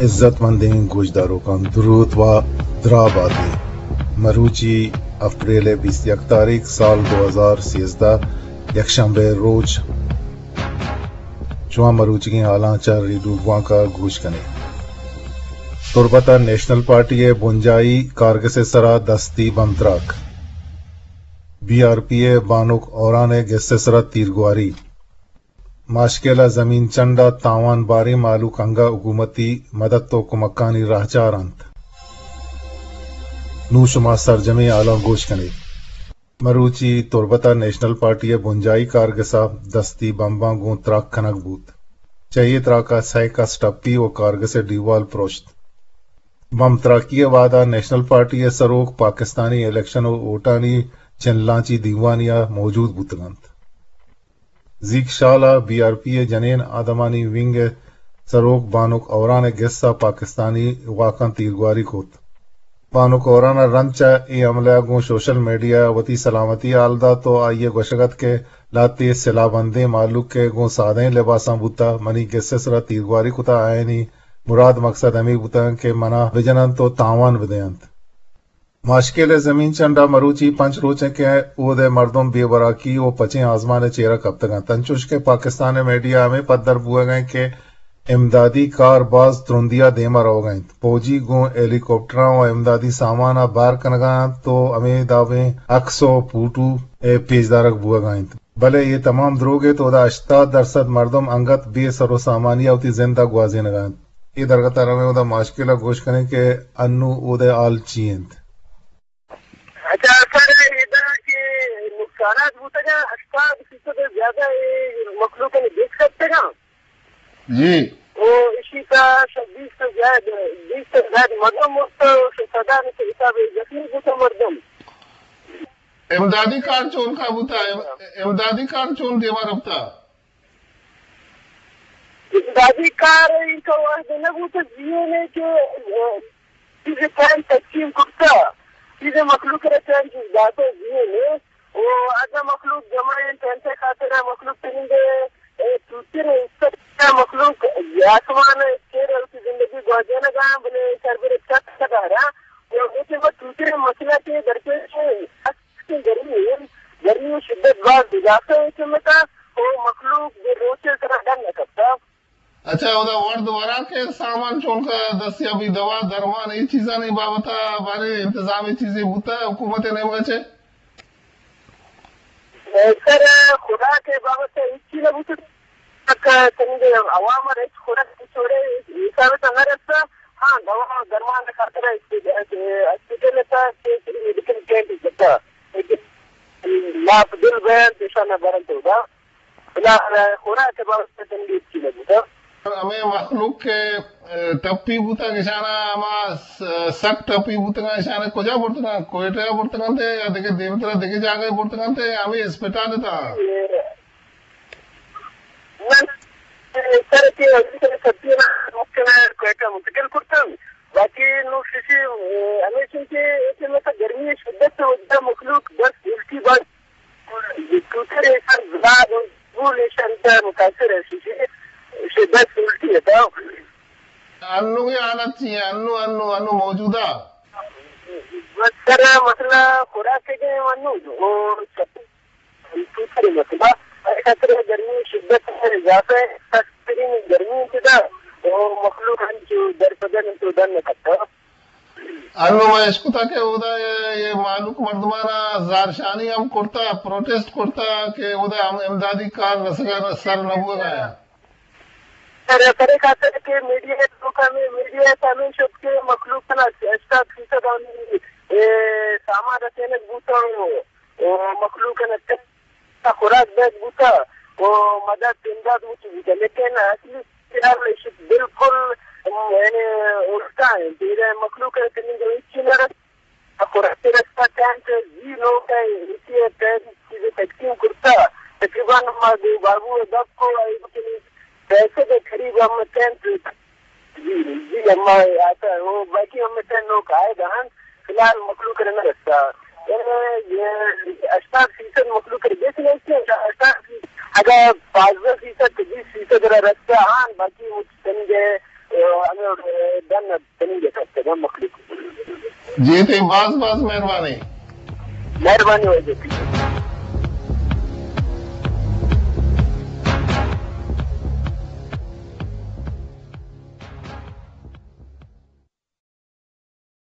عزت مندیں گوشداروکاں دروت و دراہ بات ئے۔ مروچی اپریل ءِ بیست یک تاریخ سال دو ہزار سیزدہ، یکشنبے ءِ روچ، شما مروچیگیں حالاں چہ ریڈیو بوانک ءَ گوش کن ئے۔ تربت ءَ نیشنل پارٹی ءِ بنجاہی کارگس ءِ سرا دستی بمب تراک، بی آر پی ءِ بانک ہوران ءِ گس ءِ سرا تیرگواری، ماشکیل ءَ زمین چنڈ ءَ تاوان باریں مہلوک انگہ حکومتی مدد و کمکانی راہچار انت۔ نوں شما سرجمیں حالاں گوش کن ئے۔ مروچی تربت ءَ نیشنل پارٹی ءِ بنجاہی کارگس ءَ دستی بمباں گوں تراک کنگ بوت۔ چہ اے تراک ءَ سئے کس ٹپی و کارگس ءِ ڈیوال پروشت۔ بمب تراکی ءِ وہد ءَ نیشنل پارٹی ءِ سروک پاکستانی الیکشن و ووٹانی چنلانچی دیوانی ءَ موجود بوتگ انت۔ زیک شال ءَ بی آر پی ءِ جنین آدمانی ونگ ءِ سروک بانک ہوران ءِ گس ءَ پاکستانی واکاں تیرگواری کت۔ بانک ہوران ءَ رند چہ اے حملہ ءَ گوں سوشل میڈیا ءَ وتی سلامتی ءِ حال دات و آئی ءَ گوشگ ات کہ لہتے سلاہ بندیں مہلوک کہ گوں سادہیں لباساں بوتہ، منی گس ءِ سرا تیرگواری کتہ، آیانی مراد مقصد ہمے بوتگ کہ منا بجننت و تاوان بدینت۔ ماشکیل ءِ زمین چنڈ ءَ مروچی پنچ روچ انت کہ اود ءِ مردم بے وراکی و پچیں آزمان ءِ چیرا کپتگ انت، انچوش کہ پاکستان ءِ میڈیا ءَ ہمے پدر بوہگ ءَ انت کہ امدادی کار باز ترندی ءَ دیما روگ ءَ انت۔ پوجی گوں ہیلی کاپٹراں و امدادی سامان ءَ بار کنگ ءَ انت و ہمے دابیں عکس و پوٹو ءِ پیش دارگ بوہگ ءَ انت۔ بلے اے تمام دروگ انت، اودا ہشتاد درسد مردم انگت بے سر و سامانی ءَ وتی زند ءَ گوازینگ ءَ انت۔ اے درگت ءَ رویں اودا ماشکیل ءَ گوش کنیں کہ انوں اود ءِ حال چی انت۔ اچھا سر، ادا کہ نقصانات بوتگ ءَ، ہشتاد فیصد زیادہ اے مخلوق نے دیکھ سکتے نا۔ جی۔ او اسی کا بیس سے زیادہ، بیس سے زیادہ مردم مست، سدا نے حساب زخمی بوتا مردم۔ امدادی کار چون کا بوتا؟ ام-، امدادی کار چون دیما رفتا؟ امدادی کار ان کا وقت نہ بوتا، جیو نے کہ، اے، چیز ٹائم تقسیم کرتا، چیز مخلوق را ٹائم چیز داتا، جیو نے، او ادا مخلوق جمع ہیں، ٹائم سے خاطر ہے، مخلوق تنگے، اے، توتر ہے، اس سے مخلوق آسمان ہے، شیر ہے، اس کی زندگی گواجے نہ گا، بلے سر بر چک سدا رہا، او اسے وہ توتر مسئلہ کے درپیش ہے۔ گرمی، گرمی شدت باز اضافہ ہے کہ متا او مخلوق دے روچے سرا ڈن نہ کپتا۔ اچھا، اودا ورد وراک ءِ سامان چونکا دستیابی، دوا، درمان، اے چیزانی بابت ءَ بارے انتظام اے چیزے بوتا حکومت ءِ نیمگا چہ؟ سر، خوراک ءِ بابت ءَ ہچی نہ بوتا۔ تک تنگے عوام ءَ ہچ خوراک ہچ وڑے حساب ءَ نہ رستا۔ ہاں، دوا درمان ءِ خاطر ءَ ہاسپٹل ءَ تا، میڈیکل کیمپ ءَ تا۔ لیکن لاپ دل بیان پیشان برنت ہوگا۔ بلا خوراک ءِ بابت ءَ تنگی ہچی نہ بوتا۔ ہمے مخلوق کہ، اے، ٹپی بوتگ، اشانا ہما س-، سک ٹپی بوتگاں، اشانا کجا برتگاں؟ کوئٹہ ءَ برتگاں تے یا دگہ دیمترا دگہ جاگہ برتگاں تے یا ہمے اسپتال ءَ تا؟ اے، من، اے، سر کہ ابھی سر سبزی نا ممکن ہے کوئٹہ منتقل کرتا۔ باقی نو ششی، اے، ہمیشن کہ ایسے میں تو گرمی شدت سے وجہ مخلوق بس الٹی بس ٹوٹر ایشان زلاد و گول ایشان تا متاثر ہے، شدت الٹی ہے تا۔ انو یہ حالت چی ہے؟ انو، انو، انو موجودہ؟ بس سر، مسئلہ خوراک کے گئے انو، وہ ٹوٹر مسئلہ۔ اے خاطر گرمی شدت ہے، اضافہ ہے، سخت ترین گرمی انتدا، وہ مخلوق انچو در پدر انتو دن نہ کپتا۔ انو ما اشکتا کہ اودا یہ، یہ مہلوک مردمانا زہرشانی ہم کرتا، پروٹیسٹ کرتا کہ اودا ہم امدادی کار رسگا سر نہ بوگا۔ سر، سر خاطر کہ میڈیا توکا میں، میڈیا سامنے شد کہ مخلوق نا ہشتاد فیصد ہم، اے، سامان رسینگ بوتا، او مخلوق نا خوراک بیگ بوتا و مدد امداد وتی بوتا، لیکن اصلی خیال ایش بالکل، یعنی، الٹا ہے۔ تیرے مخلوق ہے کہ نہ ہچی نہ رس-، خوراک رستا ٹائم تے جی لوگ ہے، اسی ہے ٹائم چیزیں تقسیم کرتا۔ تقریباً ما دو بابو دب کو آئی بکنی پیسے کے قریب ہم ٹائم تے جی، جی، اما آتا، وہ باقی ہم ٹائم لوگ آئے گا ہن، فی الحال مخلوق نے نہ رستا۔ یعنی، یہ ہشتاد فیصد مخلوق نے بیچ نہیں کیا، ہشتاد فیصد، اگر پانزدہ فیصد تو بیس فیصد را رستا ہن، باقی وہ چند ہے، اے، ہمیں، جی تئی باز باز مہربانی۔ مہربانی واجہ۔